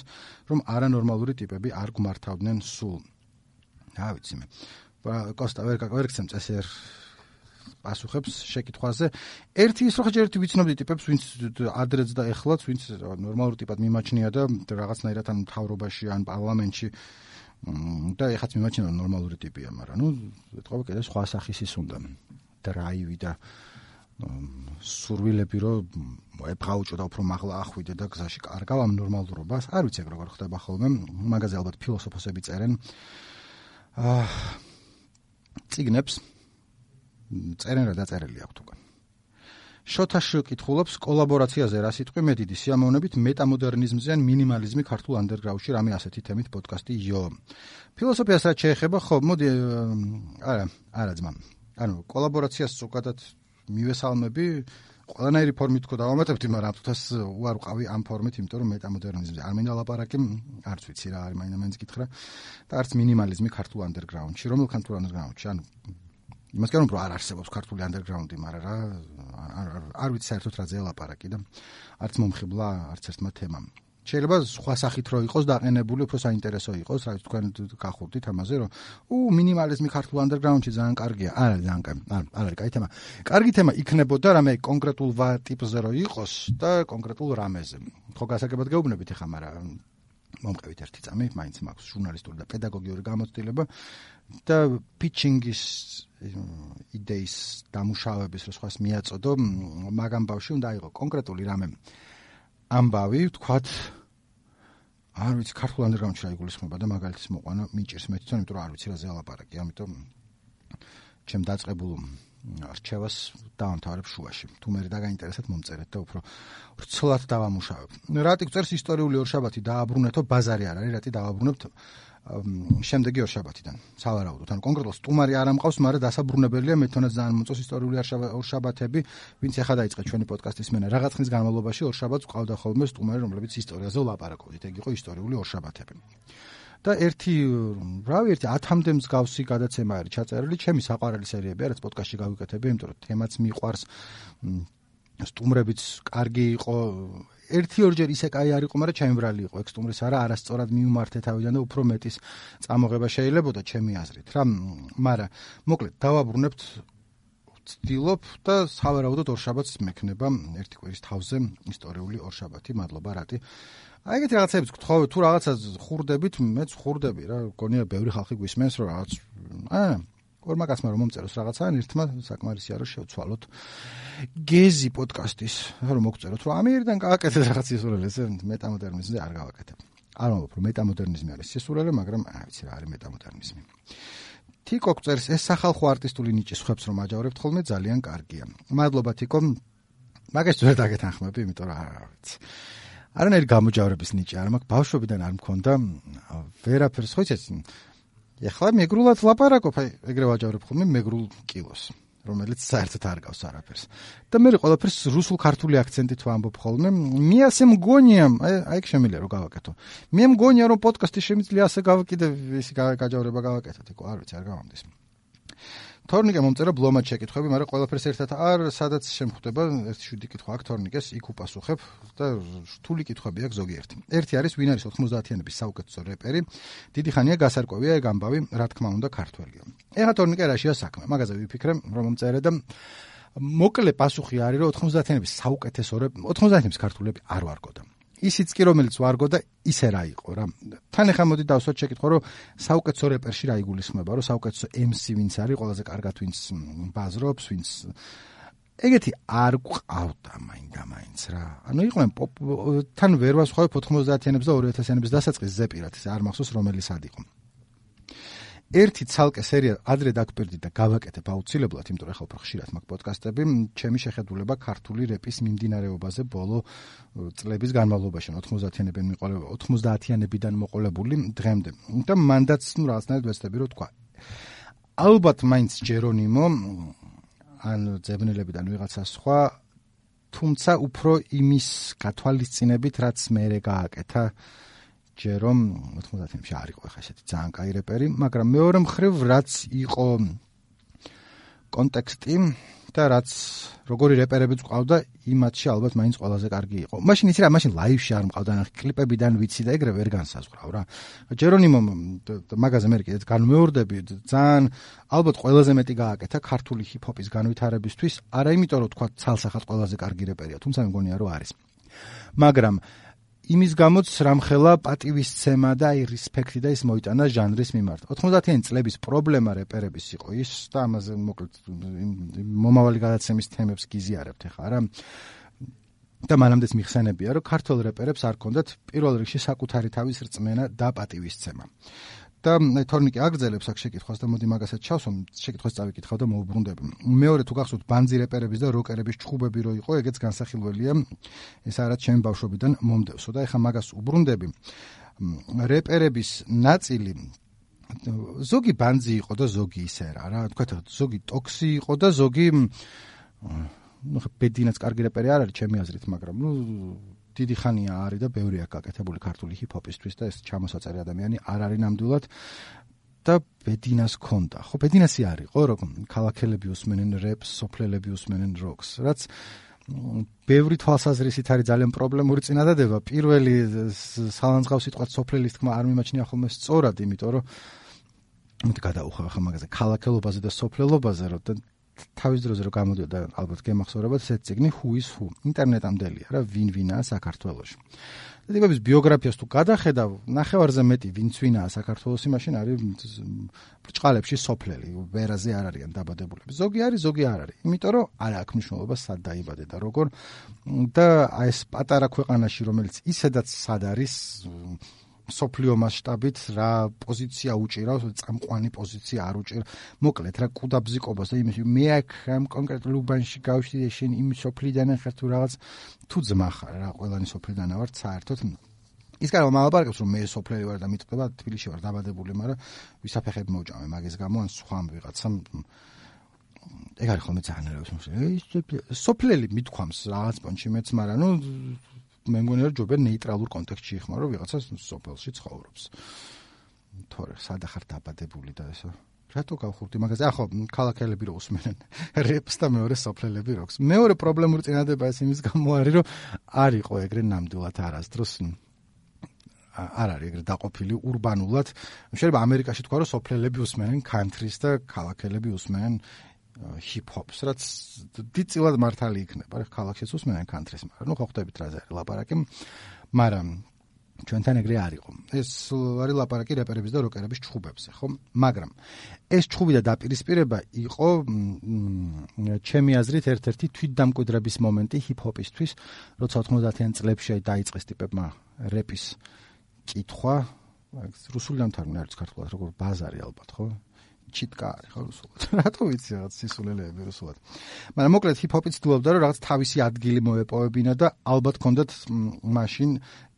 რომ არანორმალური ტიპები არ გმართავდნენ სულ. რა ვიცი მე. კოსტა ვერ გცემ წესერ პასუხებს შეკითხვაზე. ერთი ის რომ ხეჯერეთი ვიცნობდი ტიპებს, ვინც ადრეც და ეხლაც, ვინც ნორმალურ ტიპად მიმაჩნია და რაღაცნაირად ან მთავრობაში, ან პარლამენტში და ეხაც მიმაჩნია ნორმალური ტიპია, მაგრამ ნუ ეთქობა კიდე სხვა სახის ის უნდა. დრაივი და სურვილები რომ ებრაუჭო და უფრო მაღლა ახვიდე და გზაში კარგავ ამ ნორმალურობას. არ ვიცი როგორ ხდება ხოლმე, მაგაზე ალბათ ფილოსოფოსები წერენ. წიგნებს წერენ რა დაწერილი აქვს უკან. შოთაში კითხულობს, კოლაბორაციაზე რა სიტყვი მე დიდი სიამოვნებით მეტამოდერნიზმზე ან მინიმალიზმი ქართულ ანდერგრაუნდში რამე ასეთი თემით პოდკასტი იო. ფილოსოფიას რაც შეეხება, ხო, მოდი არა ძმა. ანუ კოლაბორაციას ზოგადად მივესალმები, ყველანაირი ფორმით თქო დავამატებდი, მაგრამ თვითონ უარ ვყავი ამ ფორმით, იმიტომ რომ მეტამოდერნიზმზე არ მინდა ლაპარაკი, არც ვიცი რა არის, მაინც გითხრა და არც მინიმალიზმი ქართულ ანდერგრაუნდში, რომელ ქართულ ანდერგრაუნდში, ანუ იმას განვი რომ არ არსებობს ქართული ანდერგრაუნდი, მაგრამ რა არ ვიცი საერთოდ რაზე ლაპარაკი და არც მომხიბლა არც ერთმა თემამ. შეიძლება სხვა სახით რო იყოს დაყენებული, უფრო საინტერესო იყოს, რა ვიცი თქვენ გახურდით ამაზე, რომ მინიმალიზმი ქართულ ანდერგრაუნდში ძალიან კარგია. არა, ძალიან კარგი. არ არის კაი თემა. კარგი თემა იქნებოდა რამე კონკრეტულ ტიპზე რო იყოს და კონკრეტულ რამეზე. ხო გასაგებად გეუბნებით ახლა, მაგრამ მომყევით ერთი წამი, მაინც მაქვს ჟურნალისტური და პედაგოგიური გამოცდილება და pitching-ის იდეის დამუშავების რო სხვას მიაწოდო, მაგ ამბავში უნდა იყო კონკრეტული რამე ამბავი, ვთქვათ, არ ვიცი, ქართულ ანდერგრაუნდში რა იგულისხმება და მაგალითის მოყვანა მიჭირს მე თვითონ, იმიტომ რომ არ ვიცი რაზე ალაპარაკი, ამიტომ ჩემ დაწყებულ რჩევას დავამთავრებ შუაში. თუ მე დაგაინტერესებთ მომწერეთ და უფრო რცლად დავამუშავებ. რატი გწერს ისტორიული ორშაბათი დააბრუნეთო, ბაზარი არ არის, რატი დავაბრუნებთ შემდეგი ორშაბათიდან. სავარაუდოდ, ანუ კონკრეტულად სტუმარი არ ამყავს, მაგრამ დასაბრუნებელია მე თვითონაც ძალიან მომწონს ისტორიული ორშაბათები, ვინც ახლა დაიწყე ჩვენი პოდკასტის მენა. რაღაც ხნის განმავლობაში ორშაბათს ყავდა ხოლმე სტუმარი, რომლებიც ისტორიაზე ვლაპარაკობდით. ეგ იყო ისტორიული ორშაბათები. და ერთი 10-მდე მსგავსი გადაცემა არის ჩაწერილი, ჩემი საყვარელი სერიები არის პოდკასტში გავიკეთები, იმიტომ რომ თემაც მიყვარს, სტუმრებიც კარგი იყო, ერთი-ორჯერ ისე კაი არ იყო, მაგრამ ჩემბრალი იყო, ეგ სტუმრის არასწორად მიუმართე თავიდან და უფრო მეტის წამოღება შეიძლებოდა ჩემი აზრით რა, მაგრამ მოკლედ დავაბრუნებთ ვცდილობ და სავარაუდოდ ორშაბათს მექნება ერთი კვირის თავზე ისტორიული ორშაბათი, მადლობა რატი. აი ეგეთი რაღაცებიც გთხოვთ, თუ რაღაცა ხურდებით, მეც ხურდები რა, გონია ბევრი ხალხი გვისმენს, რომ რაღაც ორმა კაცმა რომ მომწეროს რაღაცა, ერთმა საკმარისია რომ შევცვალოთ გეზი პოდკასტის, რომ მოგწეროთ, რომ ამერიდან გავაკეთეთ რაღაც სისურველი, ესე მეტამოდერნიზმზე არ გავაკეთებ. არ მომბობ, რომ მეტამოდერნიზმი არის სისურველი, მაგრამ არ ვიცი რა არის მეტამოდერნიზმი. თიკო წერს, ეს სახალხო არტისტული ნიჭი სხვებს რომ აჯავრებთ ხოლმე ძალიან კარგია. მადლობა თიკო. მაგას ვერ დაგეთანხმები, იმიტომ რომ არ ვიცი. არანაირი გამოჯავრების ნიჭი არ მაქვს, ბავშვობიდან არ მქონდა, ვერაფერს ხო იცი. ეხლა მეგრულად ლაპარაკობ, ეგრე ვაჯავრებ ხოლმე მეგრულ კილოს, რომელიც საერთოდ არ გავს არაფერს. და მე ყველაფერს რუსულ-ქართული აქცენტით ვამბობ ხოლმე. მე ასე მგონია, აი ეგ შემიძლია რომ გავაკეთო. მე მგონია რომ პოდკასტი შემიძლია ასე გავაკეთე, ისი გაჯავრება გავაკეთოთ, იქ არ ვიცი, არ გავამდის. თორნიკე მომწერა ბლომად შეკითხვები, მაგრამ ყველაფერს ერთად არ სადაც შემხვდება ერთი შვიდი კითხვა აქ თორნიკეს იქ უპასუხებ და რთული კითხვები აქვს ზოგიერთი. ერთი არის ვინ არის 90-იანების საუკეთესო რეპერი? დიდი ხანია გასარკვევია ეგ ამბავი, რა თქმა უნდა ქართველია. ეხლა თორნიკე რაშია საქმე? მაგაზე ვიფიქრე რომ მომწერე და მოკლე პასუხი არის რომ 90-იანების საუკეთესო 90-იანების ქართველები არ ვარგოდა. ისიც კი რომელიც ვარგოდა ისე რა იყო რა. თან ეხლა მოდი დავსვათ შეკითხვა რომ საუკეთესო რეპერში რა იგულისხმება, რომ საუკეთესო MC ვინც არის, ყველაზე კარგად ვინც ბაზრობს, ვინც ეგეთი არ გვყავდა მაინდა-მაინც რა. ანუ იყვნენ თან ვერ ვასხავებ 90-იანებს და 2000-იანებს დასაწყის ზეპირად, ეს არ მახსოვს რომელი სად იყო. ერთი ცალკე სერია ადრე დაგპირდი და გავაკეთებ აუცილებლად, იმიტომ რომ ახლა უფრო ხშირად მაქვს პოდკასტები, ჩემი შეხედულება ქართული რეპის მიმდინარეობაზე ბოლო წლების განმავლობაში, 90-იანებიდან მოყოლებული დღემდე. და მანდაც რაღაცნაირად ვეცდები რომ თქვა. ალბათ მაინც ჯერონიმო ან ძებნელებიდან ვიღაცა სხვა, თუმცა უფრო იმის გათვალისწინებით, რაც მერე გააკეთა ჯერომ 90-იანებში არ იყო ხა ესეთი ძალიან კაი რეპერი, მაგრამ მეორე მხრივ რაც იყო კონტექსტი და რაც როგორი რეპერებიც ყავდა, იმათში ალბათ მაინც ყველაზე კარგი იყო. მაშინ იცი რა, მაშინ ლაივში არ მყავდა, ნახე კლიპებიდან ვიცი და ეგრევე ვერ განსაზღვრავ რა. ჯერონიმო მაგაზე მე კიდეც განმეორდები, ძალიან ალბათ ყველაზე მეტი გააკეთა ქართული ჰიპ-ჰოპის განვითარებისთვის, არა იმიტომ რომ თქვა ცალსახად ყველაზე კარგი რეპერია, თუმცა მე მგონია რომ არის. მაგრამ იმის გამოც რამხელა პატივისცემა და აი რესპექტი და ის მოიტანა ჟანრის მიმართ. 90-იანი წლების პრობლემა რეპერების იყო ის და ამაზე მოკლედ მომავალი გადაცემის თემებს გიზიარებთ ახლა რა. და მანამდეც მიხსენებია რომ ქართულ რეპერებს არ ჰქონდათ პირველ რიგში საკუთარი თავის რწმენა და პატივისცემა. და თორნიკე აგრძელებს აქ შეკითხვას და მოდი მაგასაც ჩავსვამ, შეკითხვას წავიკითხავ და მოვუბრუნდები. მეორე თუ გახსოვთ ბანძი რეპერების და როკერების ჩხუბები რო იყო, ეგეც განსახილველია. ეს არის ჩემი ბავშვობიდან მომდევსო და ეხა მაგას უბრუნდები. რეპერების ნაწილი ზოგი ბანძი იყო და ზოგი ისე რა, თქვათ ზოგი ტოქსი იყო და ზოგი ბედინაც კარგი რეპერი არ არის ჩემი აზრით, მაგრამ დიდი ხანია არის და ბევრი აქვს გაკეთებული ქართული ჰიპ-ჰოპისთვის და ეს ჩამოსაწერი ადამიანი არ არის ნამდვილად და ბედინას ქონდა. ხო, ბედინასი არისო, რომ ქალაქელები უსმენენ რეპს, სოფლელები უსმენენ როკს, რაც ბევრი თვალსაზრისით არის ძალიან პრობლემური წინადადება. პირველი სალანძღავ სიტყვას სოფლელის თქმა არ მიმაჩნია ხოლმე სწორად, იმიტომ რომ მოდი გადაუხავ ახლა მაგაზე ქალაქელობაზე და სოფლელობაზე, რომ თავის დროზე რომ გამოდიოდა ალბათ გემახსოვრებათ ესეთ წიგნი Who is Who. ინტერნეტამდელია რა, ვინ-ვინაა საქართველოში. და ტიპების ბიოგრაფიას თუ გადახედავ, ნახევარზე მეტი ვინც-ვინაა საქართველოში, მაშინ არის ბრჭყალებში სოფლელი, ვერაზე არ არიან დაბადებულები. ზოგი არის, ზოგი არ არის. იმიტომ რომ არ აქვს მნიშვნელობა სად დაიბადე და როგორ და აი ეს პატარა ქვეყანაში, რომელიც ისედაც სად არის სოფლიო მასშტაბით რა პოზიცია უჭირავს, წამყვანი პოზიცია არ უჭირ. მოკლედ რა კუდაბზიკობას და იმის მე აქ ამ კონკრეტულ უბანში გავშდი შენ იმ სოფლიდან ხარ თუ რაღაც თუ ძმა ხარ რა, ყველანი სოფლიდან ვარ საერთოდ. ის კარგად მალაპარაკებს რომ მე სოფლელი ვარ და მიტყდება თბილისში ვარ დაბადებული, მაგრამ ვისაფეხები მოვჭამე მაგის გამო ან სხვა ვიღაცამ ეგ არის ხოლმე ძალიან ერევს. სოფლელი მithქვამს რაღაც პონჩი მეც, მაგრამ ნუ მე მგონია რომ ჯობია ნეიტრალურ კონტექსტში იხმარო ვიღაცას სოფელში ცხოვრობს. თორე სადა ხარ დაბადებული და ესა. რატო გავხურდი მაგაზე? ახო, ქალაქელები რო უსმენენ რეპს და მეორე სოფლელები როკს. მეორე პრობლემური წინადება ეს იმის გამო არის, რომ არ იყო ეგრე ნამდვილად არასდროს არ არის ეგრე დაყოფილი ურბანულად. შეიძლება ამერიკაში თქვა რომ სოფლელები უსმენენ country-ს და ქალაქელები უსმენენ ჰიპ-ჰოპს, რაც დიდწილად მართალი იქნება. რა ქალაქშიც უსმენენ country-ს, მაგრამ ნუ ხო ხვდებით რაზე არის ლაპარაკი. მაგრამ ჩვენთან ეგრე არ იყო. ეს არის ლაპარაკი რეპერების და როკერების ჩხუბებზე, ხო? მაგრამ ეს ჩხუბი და დაპირისპირება იყო ჩემი აზრით ერთ-ერთი თვითდამკვიდრების მომენტი ჰიპ-ჰოპისთვის, როცა 90-იან წლებში დაიწყეს ტიპებმა რეპის კითხვა, რუსული დამთავრებული არის ქართულად, როგორ ბაზარი ალბათ, ხო? ჩიტკა არის ხო რუსულად. რატო ვიცი რაღაც სისულელეები რუსულად. მაგრამ მოკლედ ჰიპ-ჰოპი ცდილობდა რომ რაღაც თავისი ადგილი მოეპოვებინა და ალბათ ჰქონდათ მაშინ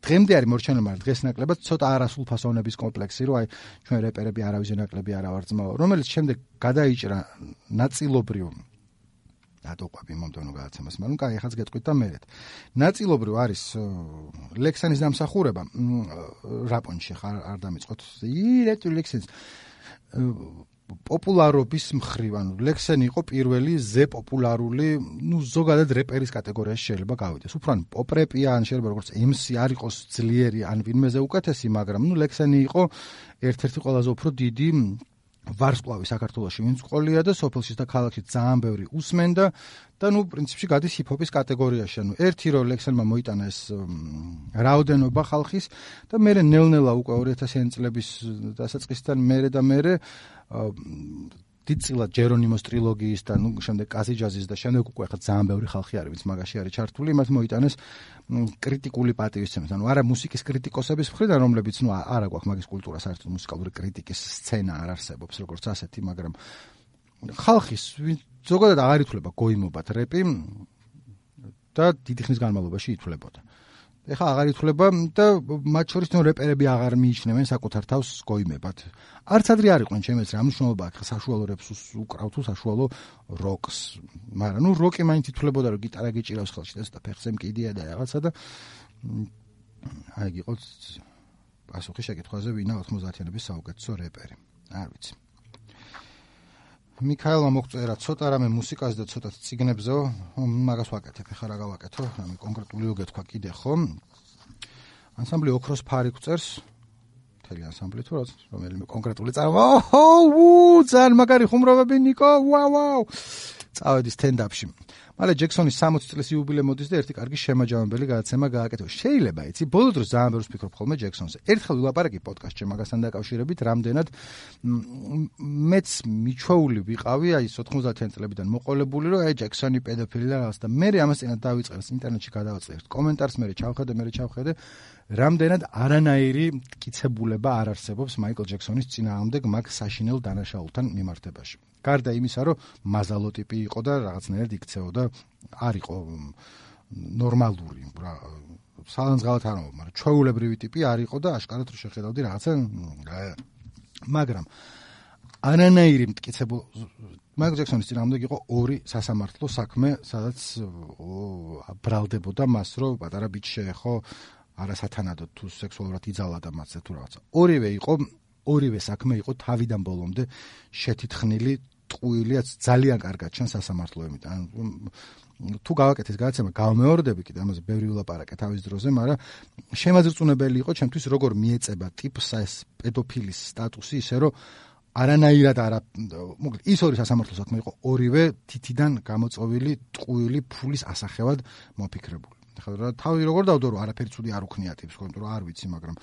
დღემდე არის მორჩენილი, მაგრამ დღეს ნაკლებად ცოტა არასრულფასოვნების კომპლექსი, რომ აი ჩვენ რეპერები არავის ნაკლები არა ვარ ძმაო, რომელიც შემდეგ გადაიჭრა ნაწილობრივ დატოყვები მომდევნო გადაცემას, მაგრამ კაი, ახაც გეტყვით და მერეთ. ნაწილობრივ არის ლექსანის დამსახურება, რაპონში ხარ არ დამიწყოთ. რატო ლექსანის პოპულარობის მხრივ, ანუ ლექსენი იყო პირველი ზე პოპულარული, ზოგადად რეპერის კატეგორიაში შეიძლება გავიდეს. უფრო ან პოპ რეპია, ან შეიძლება როგორც MC არ იყოს ძლიერი, ან ვინმეზე უკეთესი, მაგრამ ლექსენი იყო ერთ-ერთი ყველაზე უფრო დიდი ვარსკვლავი საქართველოში, ვინც ყოლია და სოფელში და ქალაქში ძალიან ბევრი usmენდა და პრინციპში გადის ჰიპ-ჰოპის კატეგორიაში. ანუ ერთი რო ლექსენმა მოიტანა ეს რაოდენობა ხალხის და მერე ნელ-ნელა უკვე 2000-იანი წლების დასაწყისიდან მერე დიდწილად ჯერონიმოს ტრილოგიის და შემდეგ კაზიჯაზის და შემდეგ უკვე ხა ძალიან ბევრი ხალხი არის, ვინც მაგაში არის ჩართული, მათ მოიტანეს კრიტიკული პატივისცემის. ანუ არა მუსიკის კრიტიკოსების მხრიდან, რომლებიც არა გვაქვს მაგის კულტურა, საერთოდ მუსიკალური კრიტიკის სცენა არ არსებობს, როგორც ასეთი, მაგრამ ხალხის ზოგადად აღარ ითვლება გოიმობად რეპი და დიდი ხნის განმავლობაში ითვლებოდა. ეხლა აღარ ითვლება და მათ შორის რეპერები აღარ მიიჩნევენ საკუთარ თავს გოიმებად. არც ადრე არ იყვნენ ჩემს რა მნიშვნელობა აქვს საშუალო რეპს უკრავ თუ საშუალო როკს. მაგრამ როკი მაინც ითვლებოდა რომ გიტარა გიჭირავს ხელში და ფეხზე მკიდია და რაღაცა და აი გიყოთ პასუხი შეკითხვაზე ვინა 90-იანების საუკეთესო რეპერი. არ ვიცი. მიქაელმა მოგწერა ცოტა რამე მუსიკაზე და ცოტა ციგნებზეო, მაგას ვაკეთებ, ეხლა რა გავაკეთო, რამე კონკრეტული გეთქვა კიდე ხომ. ანსამბლი ოქროს ფარი გვწერს, მთელი ანსამბლი თუ რომელიმე კონკრეტული ძალიან მაგარი ხუმრობები ნიკო, ვაუ. წავედი სტენდაპში. მალე ჯექსონის 60 წლის იუბილე მოდის და ერთი კარგი შემაჯამებელი გადაცემა გააკეთო. შეიძლება იცი, ბოლო დროს ძალიან ბევრს ვფიქრობ ხოლმე ჯექსონზე. ერთხელ ვილაპარაკი პოდკასტში მაგასთან დაკავშირებით, რამდენად მეც მიჩვეული ვიყავი, აი 90-იან წლებიდან მოყოლებული, რომ აი ჯექსონი პედოფილი და რაღაც და მე ამას წინათ დავიწყეს ინტერნეტში გადავაწყე კომენტარს, მე ჩავხედე, რამდენად არანაირი მტკიცებულება არ არსებობს მაიკლ ჯექსონის წინააღმდეგ მაგ საშინელ დანაშაულთან მიმართებაში. გარდა იმისა, რომ მაზალო ტიპი იყო და რაღაცნაირად იქცეოდა, არ იყო ნორმალური, რა, სალანძღალად არ ამბობ, მაგრამ ჩვეულებრივი ტიპი არ იყო და აშკარად რო შეხედავდი რაღაცა, მაგრამ არანაირი მტკიცებულ მაიკლ ჯექსონის წინააღმდეგ იყო ორი სასამართლო საქმე, სადაც ბრალდებოდა მას, რომ პატარა ბიჭი შეეხო არასათანადოდ თუ სექსუალურად იძალა და მათზე თუ რაღაცა. ორივე საქმე იყო თავიდან ბოლომდე შეთითხნილი, ტყუილიაც ძალიან კარგად ჩანს სასამართლოებიდან. თუ გავაკეთეს გადაცემა, გავმეორდები კიდე ამაზე ბევრი ვილაპარაკე თავის დროზე, მაგრამ შემაძრწუნებელი იყო ჩემთვის როგორ მიეწება ტიპს ეს პედოფილის სტატუსი, ისე რომ არანაირად მოკლედ ის ორი სასამართლო საქმე იყო ორივე თითიდან გამოწოვილი ტყუილი ფულის ასახევად მოფიქრებული. ახლა თავი როგორ დავდო რომ არაფერი ცუდი არ უქნია ტიპს, იმიტომ რომ არ ვიცი, მაგრამ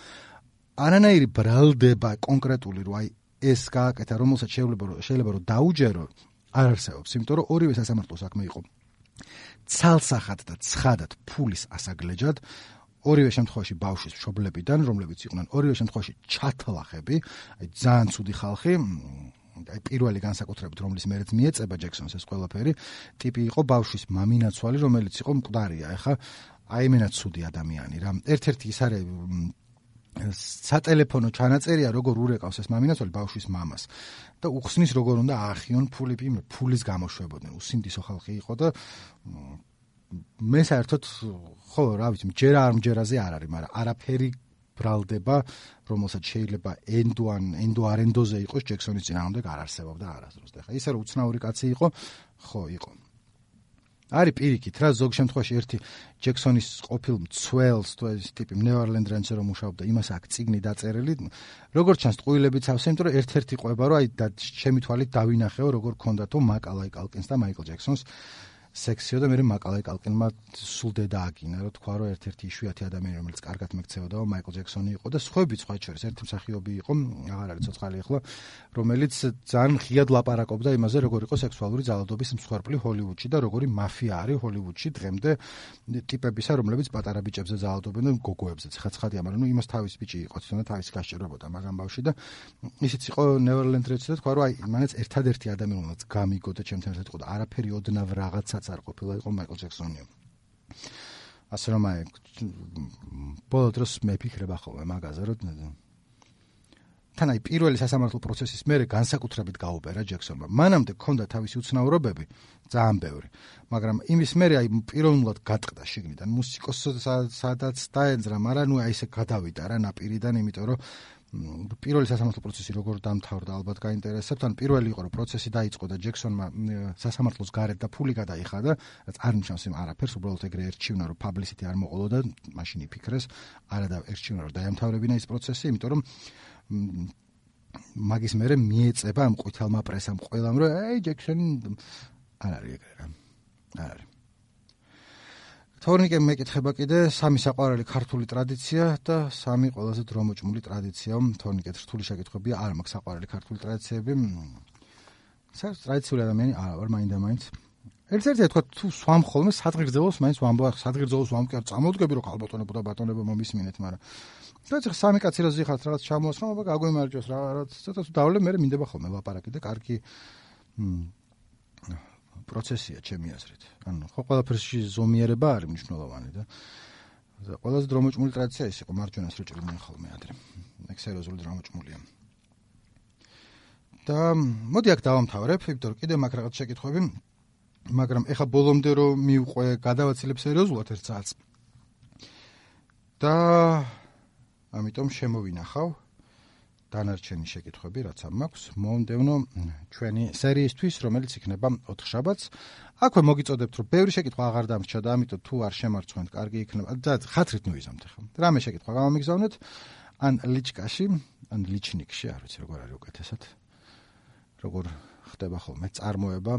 არანაირი ბრალდება კონკრეტული რომ აი ეს გააკეთა, რომელსაც შეიძლება რომ დაუჯერო, არ არსებობს, იმიტომ რომ ორივე სასამართლო საქმე იყო ცალსახად და ცხადად ფულის ასაგლეჯად, ორივე შემთხვევაში ბავშვის მშობლებიდან, რომლებიც იყვნენ ორივე შემთხვევაში ჩათლახები, აი ძალიან ცუდი ხალხი, აი პირველი განსაკუთრებით რომლის მერეც მიეწება ჯექსონს ეს ყველაფერი, ტიპი იყო ბავშვის მამინაცვალი, რომელიც იყო მკვდარია, ეხა აი მენაც ცუდი ადამიანი რა. ერთ-ერთი ის არის სატელეფონო ჩანაწერია, როგორ ურეკავს ეს მამინაცვალი ბავშვის მამას და უხსნის როგორ უნდა აახიონ ფულის გამოშვებოდნენ. უსინდისო ხალხი იყო და მე საერთოდ ხო რა ვიცი, მჯერა არ მჯერაზე არ არის, მაგრამ არაფერი ბრალდება, რომელსაც შეიძლება ენდო არენდოზე იყოს ჯექსონის წინააღმდეგ არ არსებობდა არასდროს. და ხა ისე რომ უცნაური კაცი იყო, ხო იყო. არის პირიქით რა, ზოგ შემთხვევაში ერთი ჯექსონის ყოფილ მცველს თუ ეს ტიპი ნევერლენდ რენჩზე რომ მუშაობდა, იმას აქვს წიგნი დაწერილი, როგორც ჩანს ტყუილებიც ავსე, იმიტომ რომ ერთ-ერთი ყვება რომ აი ჩემი თვალით დავინახეო როგორ ქონდათო მაკალაი კალკინს და მაიკლ ჯექსონს სექსიო და მე მაკალაი კალკინმა სულ დედა აგინა, რომ თქვა რომ ერთ-ერთი იშვიათი ადამიანი რომელიც კარგად მეკცეოდა მაიკლ ჯექსონი იყო და სხვაებიც სხვა შორის ერთი მსახიობი იყო, აღარ არის ცოცხალი ახლა, რომელიც ძალიან ღიად ლაპარაკობდა იმაზე როგორ იყო სექსუალური ძალადობის მსხვერპლი ჰოლივუდში და როგორი მაფია არის ჰოლივუდში დღემდე ტიპებისა, რომლებიც პატარა ბიჭებზე ძალადობენ და გოგოებზეც. ხა ცხადია, მაგრამ იმას თავის ბიჭი იყო, თვითონ თავის გასჭირებოდა მაგამ ბავში და ისიც იყო ნევერლენდ რენჩზე და თქვა რომ აი მანაც ერთადერთი ადამიანი რომელიც გამიგო და ჩემთან ერთად იყო და არაფერი ოდნავ რაღაცა არ ყოფილა იყო მაიკლ ჯექსონი. ასე რომ აი ბოლო დროს მეფიქრება ხოლმე მაგაზე, რომ თან აი პირველი სასამართლო პროცესის მერე განსაკუთრებით გაუბერა ჯექსონმა. მანამდე ჰქონდა თავისი უცნაურობები, ძალიან ბევრი, მაგრამ იმის მერე აი პირველად გატყდა შიგნიდან მუსიკოსს სადაც დაენძრა, მაგრამ ნუ აი ესე გადავიდა რა ნაპირიდან, იმიტომ რომ პირველი სასამართლო პროცესი როგორ დამთავრდა, ალბათ გაინტერესებთ. ან პირველი იყო, რომ პროცესი დაიწყო და ჯექსონმა სასამართლოს გარეთ და ფული გადაიხადა, რაც არ ნიშნავს იმ არაფერს, უბრალოდ ეგრე ერჩივნა, რომ publicity არ მოყოლო და მაშინ იფიქრეს, არა და ერჩივნა, რომ დაემთავრებინა ის პროცესი, იმიტომ რომ მაგის მერე მიეწება ამ ყვითელმა პრესამ ყველამ, რომ აი ჯექსონი არ არის ეგრე რა. არ არის. თორნიკემ მეკითხება კიდე სამი საყვარელი ქართული ტრადიცია და სამი ყველაზე დრომოჭმული ტრადიცია. თორნიკეთ რთული შეკითხვებია, არ მაქვს საყვარელი ქართული ტრადიციები. საერთოდ ტრადიციული ადამიანი არა ვარ, მაინდა-მაინც. ერთ-ერთი თქვა თუ სვამ ხოლმე სადღერძელოს მაინც ვამბობ, სადღერძელოს ვამკერ წამოდგები რომ ხალბატონებო და ბატონებო მომისმინეთ, მაგრამ რაც სამი კაცი რა ზიხართ რაღაც ჩამოასხმა, აბა გაგვემარჯოს რაღაც ცოტა თუ დავლე მე მინდება ხოლმე ლაპარაკი და კარგი პროცესია ჩემი აზრით. ანუ ხო ყველაფერში ზომიერება არის მნიშვნელოვანი და ყველაზე დრომოჭმული ტრადიცია ის იყო მარჯვენას რო ჭრიდნენ ხოლმე ადრე. ეგ სერიოზული დრომოჭმულია. და მოდი აქ დავამთავრებ, იმიტომ რომ კიდე მაქვს რაღაც შეკითხვები, მაგრამ ეხა ბოლომდე რომ მივყვე, გადავაცილებ სერიოზულად ერთ საათს. და ამიტომ შემოვინახავ დანარჩენი შეკითხვები, რაც ამ მაქვს, მომდევნო ჩვენი სერიისთვის, რომელიც იქნება 4 შაბათს. აქვე მოგიწოდებთ, რომ ბევრი შეკითხვა აღარ დამრჩა და ამიტომ თუ არ შემარცხვენთ, კარგი იქნება. და ხათრით ნუიზამთ ახლა. რამე შეკითხვა გამომიგზავნეთ, ან ლიჩკაში, ან ლიჩნიკში, არ ვიცი როგორ არის უკეთესად. როგორ ხდება ხოლმე წარმოება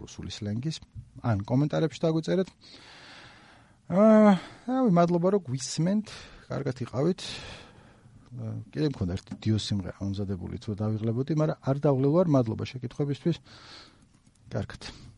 რუსული სლენგის, ან კომენტარებში დაგვიწერეთ. მადლობა რომ გვისმენთ, კარგად იყავით. კიდე მქონდა ერთი დიო სიმღერა ამზადებული თუ დავიღლებოდი, მაგრამ არ დავღლევ ვარ, მადლობა შეკითხვებისთვის. კარგად.